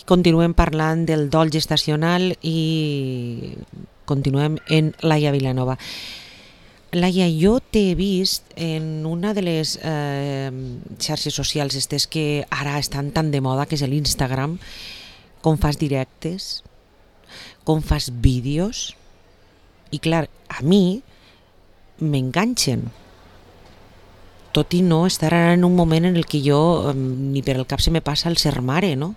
continuem parlant del dol gestacional i continuem en Laia Vilanova. Laia, jo t'he vist en una de les xarxes socials estes que ara estan tan de moda, que és l'Instagram, com fas directes, com fas vídeos, i clar, a mi m'enganxen, tot i no estar ara en un moment en el que jo ni per el cap se me passa el ser mare, no?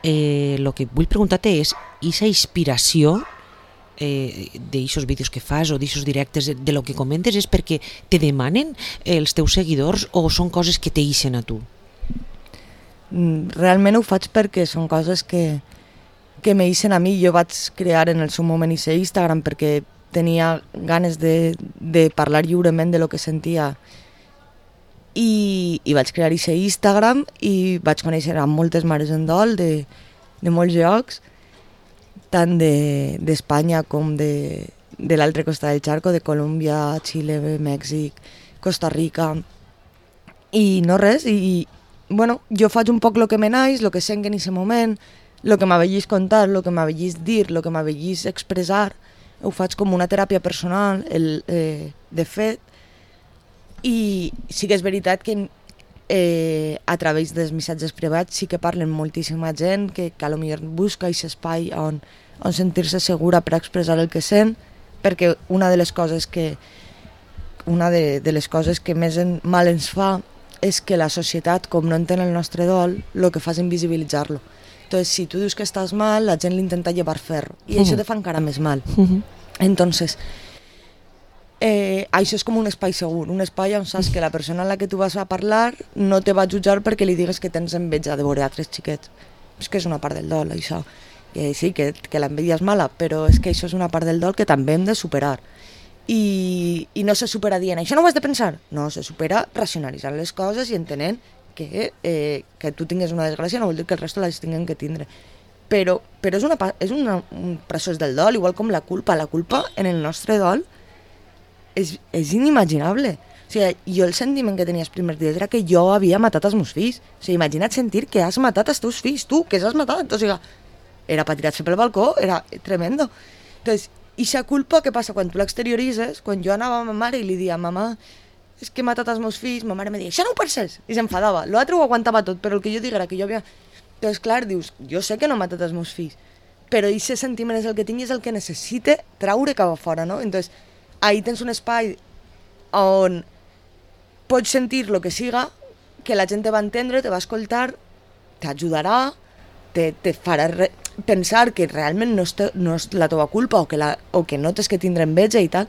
Lo que vull preguntar-te és, aquesta inspiració d'aixos vídeos que fas o d'aixos directes, de lo que comentes, és perquè te demanen els teus seguidors o són coses que t'eixen a tu? Realment ho faig perquè són coses que m'eixen a mi. Jo vaig crear en el seu moment aquest Instagram perquè tenia ganes de parlar lliurement de lo que sentia i vaig crear aquest Instagram i vaig conèixer a moltes mares en dol de molts llocs, tant d'Espanya com de l'altre costat del Charco, de Colòmbia, Xile, Mèxic, Costa Rica, i no res, i bueno, jo faig un poc el que me naix, el que sent en aquest moment, el que m'avellís contar, el que m'avellís dir, el que m'avellís expressar, ho faig com una teràpia personal, de fet, i sí que és veritat que a través dels missatges privats sí que parlen moltíssima gent que potser busca aquest espai on sentir-se segura per expressar el que sent, perquè una de les coses que més mal ens fa és que la societat, com no entén el nostre dol, el que fa és invisibilitzar-lo. Entonces, si tu dius que estàs mal, la gent l'intenta llevar ferro, i això te fa encara més mal. Entonces, això és com un espai segur, un espai on saps que la persona a la que tu vas a parlar no te va jutjar perquè li digues que tens enveja de veure altres xiquets. És que és una part del dol, això. Sí, que l'enveja és mala, però és que això és una part del dol que també hem de superar. I no se supera dient, això no ho has de pensar. No, se supera racionalitzant les coses i entenent que tu tingues una desgràcia no vol dir que el resto les tinguin que tindre. Però és un procés del dol, igual com la culpa. La culpa en el nostre dol és inimaginable. O sigui, jo el sentiment que tenia els primers dies era que jo havia matat els meus fills. O sigui, imagina't sentir que has matat els teus fills, tu, que els has matat. O sigui, era per tirar-se pel balcó, era tremendo. Entonces, aquesta culpa, què passa? Quan tu l'exterioritzes, quan jo anava a ma mare i li dia, mamà, és que he matat els meus fills, ma mare me deia, això no ho penses, i s'enfadava. L'altre ho aguantava tot, però el que jo dic era que jo havia... Entonces, clar, dius, jo sé que no he matat els meus fills, però aquest sentiment és el que tinc i és el que necessite traure cap a fora, no? Entonces, ahí tens un espai on pots sentir el que siga, que la gent te va entendre, te va escoltar, t'ajudarà, te farà pensar que realment no és la teva culpa o que no tens que tindre enveja i tal,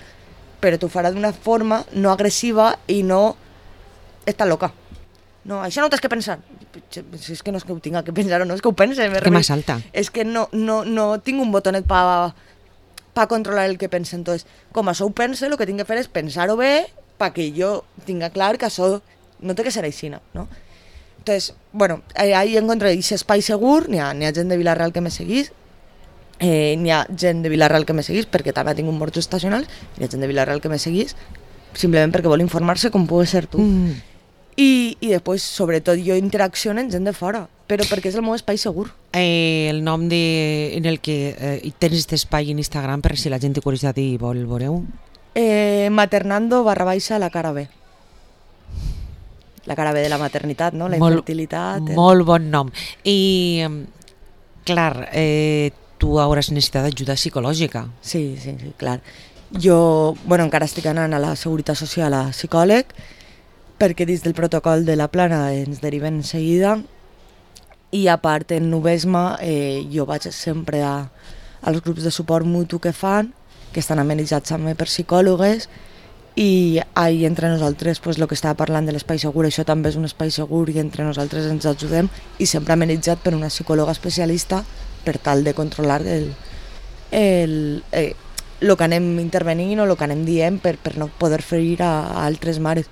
però t'ho farà d'una forma no agressiva i no està loca. No, això no ho tens que pensar. Si és que no és que ho tinga que pensar o no, és que ho pense. Que m'assalta. És que no tinc un botonet per controlar el que pensa. Entonces, com això ho pense, el que tinc que fer és pensar-ho bé perquè jo tinga clar que això no té que ser així, no? Entonces, bueno, ahí encontré aquest espai segur, n'hi ha gent de Vila-real que me seguís, n'hi ha gent de Vila-real que me seguís perquè també ha tingut morts estacionals, n'hi ha gent de Vila-real que me seguís simplement perquè vol informar-se com pugui ser tu. I després, sobretot, jo interacciono amb gent de fora, però perquè és el meu espai segur. El nom en el que tens aquest espai en Instagram, per si la gent té curiositat i vol veure-ho? Maternando_la cara B. La cara B de la maternitat, no? La infertilitat. Molt bon nom. I, clar, tu hauràs necessitat ajuda psicològica. Sí, clar. Jo, encara estic anant a la Seguretat Social a psicòleg, perquè dins del protocol de la plana ens deriven en seguida, i a part en Nubesma jo vaig sempre als grups de suport mutu que fan, que estan amenitzats també per psicòlogues, i ahí entre nosaltres el que estava parlant de l'espai segur, això també és un espai segur i entre nosaltres ens ajudem, i sempre amenitzat per una psicòloga especialista per tal de controlar el que anem intervenint o el que anem dient per no poder ferir a altres mares.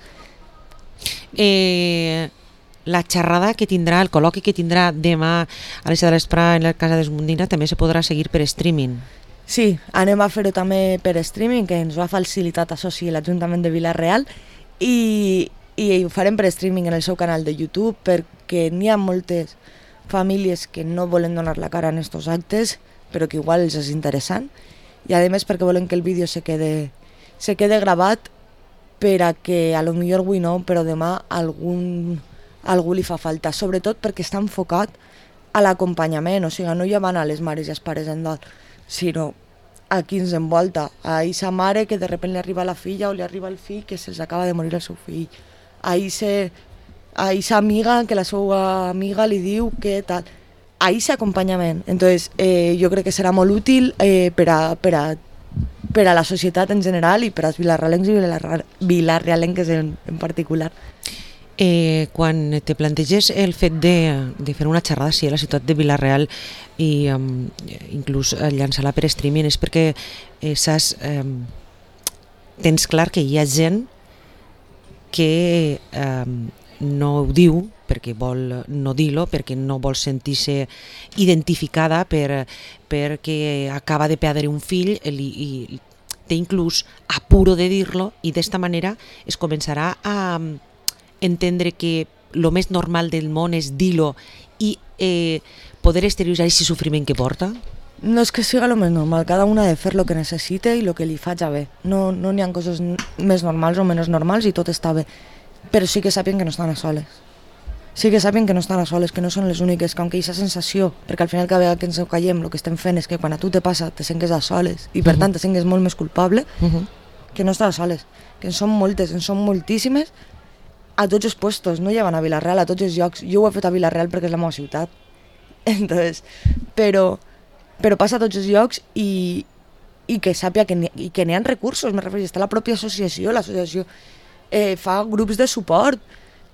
La xerrada que tindrà, el col·loqui que tindrà demà a les 7 de l'Esprà en la Casa d'Esmundina també se podrà seguir per streaming. Sí, anem a fer-ho també per streaming, que ens ho ha facilitat l'Ajuntament de Vila-real, i ho farem per streaming en el seu canal de YouTube, perquè n'hi ha moltes famílies que no volen donar la cara en estos actes, però que igual els és interessant, i a més perquè volen que el vídeo se quede gravat per a que a lo millor avui no, però demà algú li fa falta, sobretot perquè està enfocat a l'acompanyament, o sigui, no ja van a les mares i els pares en dol, sinó a qui ens envolta, a aquesta mare que de sobte li arriba la filla o li arriba el fill que se'ls acaba de morir el seu fill, a aquesta amiga que la seva amiga li diu que tal, a aquest acompanyament. Entonces, jo crec que serà molt útil per a la societat en general i per als vilarrealencs i vilarrealenques en particular. Quan te planteges el fet de fer una xerrada a la ciutat de Vila-real i inclús llançar-la per streaming és perquè tens clar que hi ha gent que no ho diu perquè vol no dir-lo, perquè no vol sentir-se identificada perquè acaba de perdre un fill i té inclús apuro de dir-lo, i d'esta manera es començarà a entendre que el més normal del món és dir-lo i poder exterioritzar aquest sofriment que porta? No és que siga el més normal, cada una ha de fer el que necessita i el que li faig bé. No n'hi ha coses més normals o menys normals i tot està bé, però sí que sàpien que no estan a soles. Sí que sàpien que no estan a soles, que no són les úniques, que aunque aquesta sensació, perquè al final cada vegada que ens callem el que estem fent és que quan a tu te passa te sentes a soles i per tant te sentes molt més culpable, que no estàs a soles, que en són moltes, en són moltíssimes, a tots els puestos, no llevan a Vila-real, a tots els llocs. Jo ho he fet a Vila-real perquè és la meva ciutat. Entonces, però passa a tots els llocs i que sàpia que n'hi ha recursos, me refereixo, està la pròpia associació, l'associació fa grups de suport,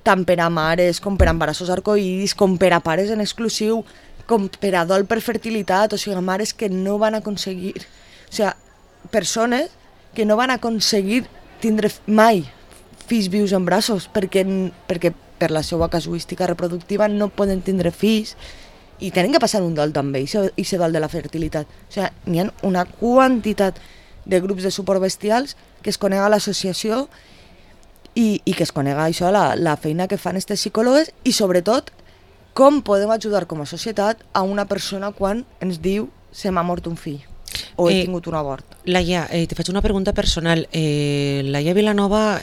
tant per a mares com per a embarassos arcoïris, com per a pares en exclusiu, com per a dol per fertilitat, o sigui, mares que no van aconseguir, o sigui, persones que no van aconseguir tindre mai fills vius en braços, perquè per la seva casuística reproductiva no poden tindre fills i tenen que passar un dol també, i ser dol de la fertilitat. O sigui, n'hi ha una quantitat de grups de suport bestials que es conega a l'associació i que es conega això, la feina que fan aquests psicòlogs i sobretot com podem ajudar com a societat a una persona quan ens diu se m'ha mort un fill o he tingut un abort. Laia, te faig una pregunta personal. Laia Vilanova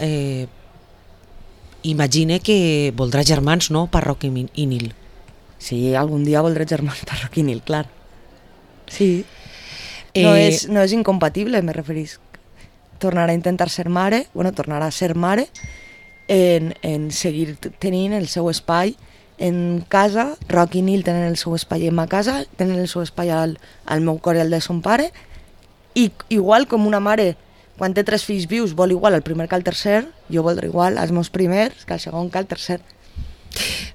imagine que voldrà germans, no? Parroc i Nil. Sí, algun dia voldré germans Parroc i Nil, clar. Sí. No és incompatible, me referís. Tornar a intentar ser mare, tornar a ser mare en seguir tenint el seu espai en casa. Roc i Nil tenen el seu espai en ma casa, tenen el seu espai al meu cor i al de son pare, i igual com una mare quan té 3 fills vius vol igual el primer que el tercer, jo voldré igual els meus primers que el segon que el tercer.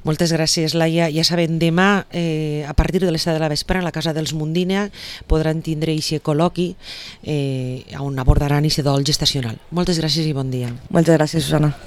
Moltes gràcies, Laia. Ja saben, demà a partir de les 7 de la vespre a la casa dels Mundina podran tindre aquest col·loqui on abordaran aquest dol gestacional. Moltes gràcies i bon dia. Moltes gràcies, Susana.